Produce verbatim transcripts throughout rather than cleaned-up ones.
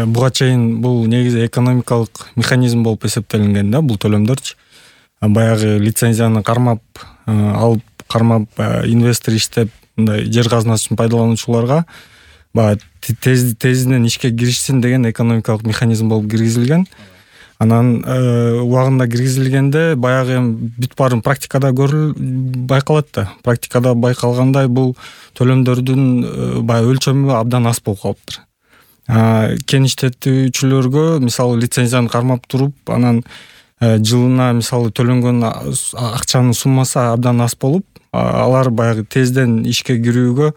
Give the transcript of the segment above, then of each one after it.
буга чейин бул негизи экономикалык механизм болуп эсептелинген да, бул төлөмдөрчү. Баягы лицензияны кармап алып, кармап инвестор иштеп, мындай жер казынасын пайдалануучуларга баягы тез тезинен ишке киришсин деген экономикалык механизм болуп киргизилген. Анан убагында киргизилгенде баягы эми бүт баарын практикада көрүл байкалат да. Практикада байкалгандай бул төлөмдөрдүн баягы өлчөмү абдан аз болуп калыптыр. Кен иштетүүчүлөргө мисалы лицензияны кармап туруп, анан жылына мисалы төлөнгөн акчанын суммасы абдан аз болуп, алар баягы тезден ишке кирүүгө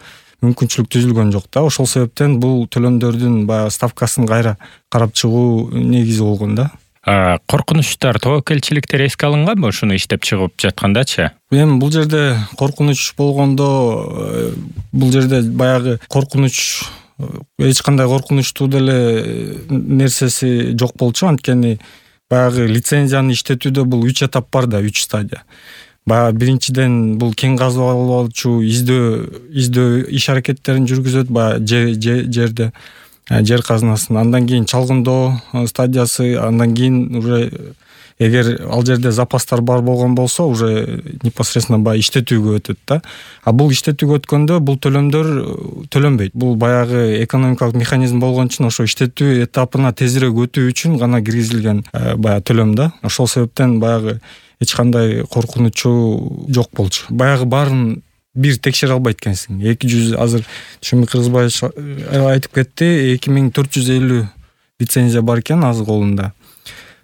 мүмкүнчүлүк түзүлгөн жок да. Ошол себептен бул төлөмдөрдүн баягы ставкасын кайра карап чыгуу негизи болгон да. Коркунучтар, тобокелчиликтер эске алынганбы ушуну иштеп чыгып жаткандачы? Эми бул жерде коркунуч болгондо, бул жерде баягы коркунуч, эч кандай коркунучтуу деле нерсеси жок болчу. Анткени баягы лицензияны иштетүүдө бул үч этап бар да, үч стадия. Баягы биринчиден бул кен казып алуучу издөө издөө иш аракеттерин жүргүзөт баягы жерде, жер казынасын. Андан кийин чалгындоо стадиясы, андан кийин уже эгер ал жерде запастар бар болгон болсо, уже непосредственно баягы иштетүүгө өтөт да. А бул иштетүүгө өткөндө бул төлөмдөр төлөнбөйт. Бул баягы экономикалык механизм болгон үчүн ошо иштетүү этапына тезирээк өтүү үчүн гана киргизилген баягы төлөм да. Ошол себептен баягы эч кандай коркунучу жок болчу. Баягы баарын бир текшере албайт экенсиң. эки жүз азыр Түшүнбүк Кыргызбаевич айтып кетти, эки миң төрт жүз элүү лицензия бар экен азыр колунда.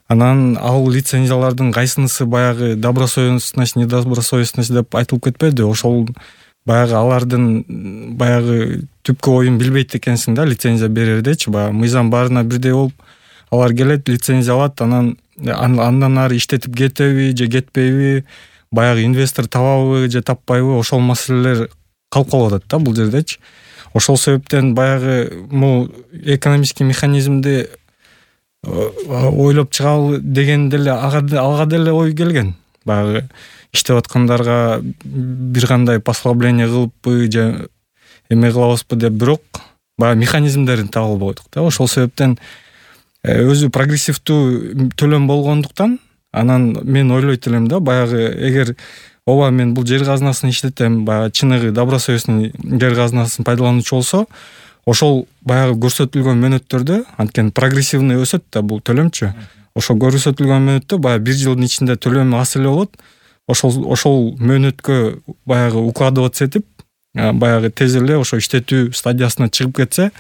Анан ал лицензиялардын кайсынысы баягы добросовестность, недобросовестность деп айтылып кетпеди. Ошол баягы алардын баягы түпкү оюн билбейт экенсиң да, лицензия берердечи. Баягы мыйзам баарына бирдей болуп, алар келет, лицензия алат, анан андан ары иштетип кетеби же кетпейби, баягы инвестор табабы же таппайбы, ошол маселелер калып калып атат да бул жердечи. Ошол себептен баягы могу экономический механизмди ойлоп чыгалы деген деле ага деле ой келген. Баягы иштеп аткандарга бир кандай послабление кылыппы же эме кылабызбы деп, бирок баягы механизмдерин таба албадык да. Ошол себептен өзү прогрессивдүү төлөм болгондуктан, анан мен ойлойт элем да, баягы эгер ооба мен бул жер казынасын иштетем, баягы чыныгы добросовестный жер казынасын пайдалануучу болсо, ошол баягы көрсөтүлгөн мөөнөттөрдө, анткени прогрессивный өсөт да бул төлөмчү. Ошол көрсөтүлгөн мөөнөттө баягы бир жылдын ичинде төлөм аз эле болот. Ошол ошол мөөнөткө баягы укладываться этип, баягы тез эле ошо иштетүү стадиясына чыгып кетсе,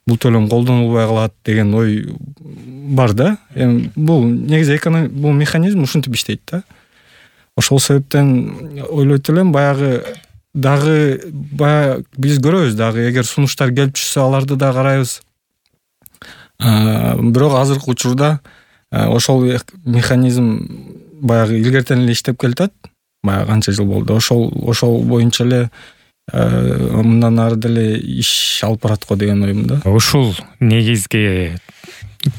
бул төлөм колдонулбай калат деген ой бар да. Эми бул негизи экономик бул механизм ушинтип иштейт да. Ошол себептен ойлойт элем, баягы дагы баягы биз көрөбүз дагы, эгер сунуштар келип түшсө аларды да карайбыз. Бирок азыркы учурда ошол механизм баягы илгертен эле иштеп келатат. Баягы канча жыл болду. Ошол ошол боюнча эле мындан ары деле иш алып барат го деген оюм да. Ушул негизги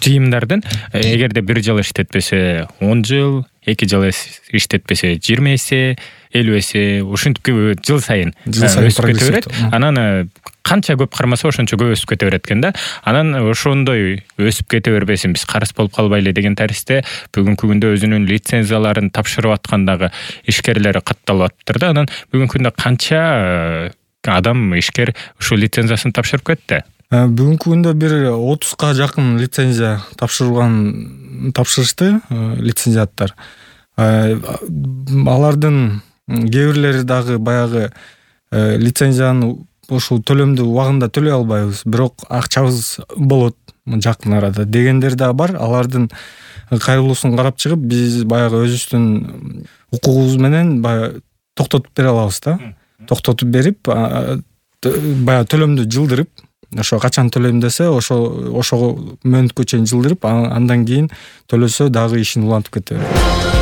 жыйымдардын эгерде бир жыл иштетпесе он жыл, эки жыл иштетпесе жыйырма эсе, элүү эсе, ушинтип жыл сайын өсүп кете берет. Анан канча көп кармаса ошончо көп өсүп кете берет экен да. Анан ошондой өсүп кете бербесин, биз карыз болуп калбайлы деген таристе бүгүнкү күндө өзүнүн лицензияларын тапшырып аткандагы ишкерлер катталып атыптыр да. Анан бүгүнкү күндө канча адам ишкер ушул лицензиясын тапшырып кетти? Бүгүнкү күндө бир отузга жакын лицензия тапшырылган, тапшырышты лицензиаттар. Алардын кээ бирлери дагы баягы лицензияны ушул төлөмдү убагында төлөй албайбыз, бирок акчабыз болот жакын арада дегендер да бар. Алардын кайрылуусун карап чыгып, биз баягы өзүбүздүн укугубуз менен баягы токтотуп бере алабыз да. Токтотуп берип, баягы төлөмдү жылдырып, ошо качан төлөйм десе, ошо ошого мөөнөткө чейин жылдырып, андан кийин төлөсө дагы ишин улантып кете берет.